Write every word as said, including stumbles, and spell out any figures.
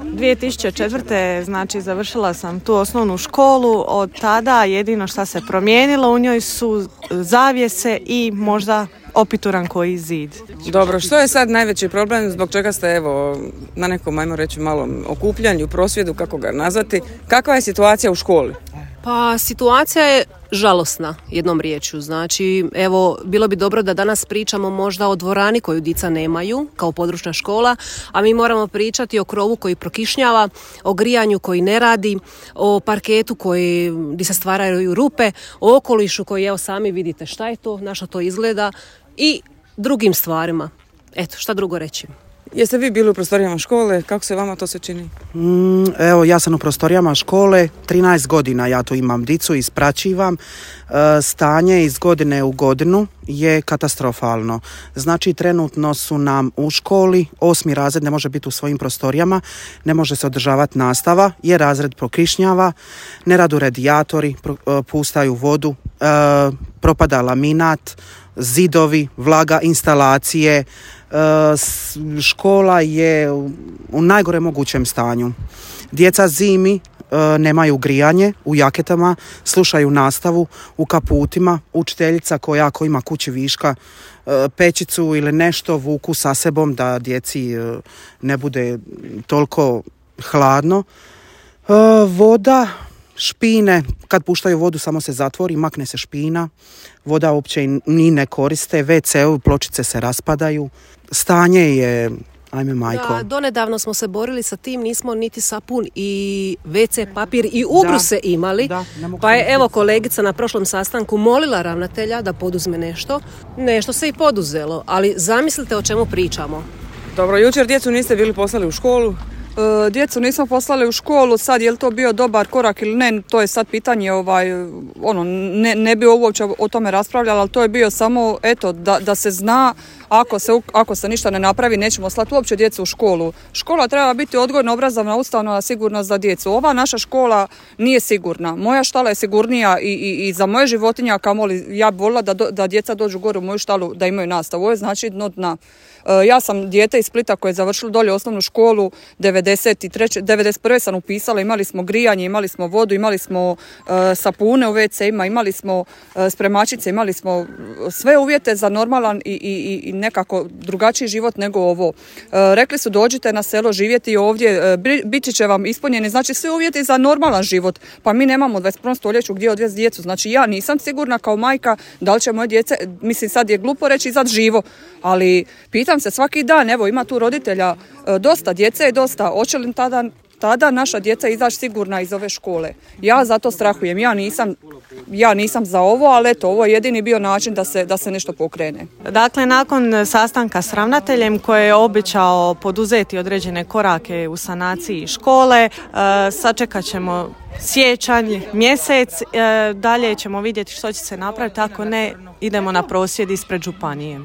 dvije tisuće četvrte. znači završila sam tu osnovnu školu, od tada jedino što se promijenilo u njoj su zavjese i možda opituran koji zid. Dobro, što je sad najveći problem, zbog čega ste evo na nekom, ajmo reći, malom okupljanju, prosvjedu, kako ga nazvati, kakva je situacija u školi? Pa situacija je žalosna, jednom riječju. Znači, evo, bilo bi dobro da danas pričamo možda o dvorani koju djeca nemaju, kao područna škola, a mi moramo pričati o krovu koji prokišnjava, o grijanju koji ne radi, o parketu koji, gdje se stvaraju rupe, o okolišu koji, evo, sami vidite šta je to, na što to izgleda i drugim stvarima. Eto, šta drugo reći? Jeste vi bili u prostorijama škole? Kako se vama to se čini? Mm, evo, ja sam u prostorijama škole, trinaest godina ja tu imam dicu, ispraćivam. E, stanje iz godine u godinu je katastrofalno. Znači, trenutno su nam u školi, osmi razred ne može biti u svojim prostorijama, ne može se održavati nastava, jer razred prokišnjava, ne radu radijatori, pro, e, pustaju vodu, e, propada laminat, zidovi, vlaga, instalacije. Škola je u najgore mogućem stanju. Djeca zimi nemaju grijanje u jaketama, slušaju nastavu u kaputima. Učiteljica koja ako ima kući viška pećicu ili nešto vuku sa sebom da djeci ne bude toliko hladno. Voda, špine, kad puštaju vodu samo se zatvori, makne se špina, voda uopće ni ne koriste, ve ce pločice se raspadaju, stanje je, ajme majko. Da, donedavno smo se borili sa tim, nismo niti sapun i ve ce papir i ubruse da, imali, da, pa je evo kolegica na prošlom sastanku molila ravnatelja da poduzme nešto, nešto se i poduzelo, ali zamislite o čemu pričamo. Dobro, jučer djecu niste bili poslali u školu? E, djecu nismo poslali u školu, sad je li to bio dobar korak ili ne, to je sad pitanje, ovaj, ono, ne, ne bi uopće o tome raspravljali, ali to je bio samo, eto, da, da se zna, ako se, ako se ništa ne napravi, nećemo slati uopće djecu u školu. Škola treba biti odgojno obrazovna ustanova, sigurna za djecu. Ova naša škola nije sigurna. Moja štala je sigurnija i, i, i za moje životinje, a kamoli ja bi volila da, do, da djeca dođu gore u moju štalu, da imaju nastavu. Ovo je znači dno dna. Ja sam dijete iz Splita koje je završilo dolje osnovnu školu, devedeset treće, devedeset prve sam upisala, imali smo grijanje, imali smo vodu, imali smo uh, sapune u ve ce-ima, imali smo uh, spremačice, imali smo sve uvjete za normalan i, i, i nekako drugačiji život nego ovo. Uh, rekli su dođite na selo živjeti ovdje, uh, biti će vam ispunjeni, znači svi uvjeti za normalan život, pa mi nemamo u dvadeset prvom stoljeću gdje odvesti djecu, znači ja nisam sigurna kao majka da li će moje djece, mislim sad je glupo reći izad živo, ali pitam se svaki dan, evo ima tu roditelja, dosta djece i dosta, hoće li tada, tada naša djeca izaći sigurna iz ove škole? Ja zato strahujem, ja nisam, ja nisam za ovo, ali eto, ovo je jedini bio način da se, da se nešto pokrene. Dakle, nakon sastanka s ravnateljem koji je obećao poduzeti određene korake u sanaciji škole, sačekat ćemo siječanj, mjesec, dalje ćemo vidjeti što će se napraviti, ako ne, idemo na prosvjed ispred županije.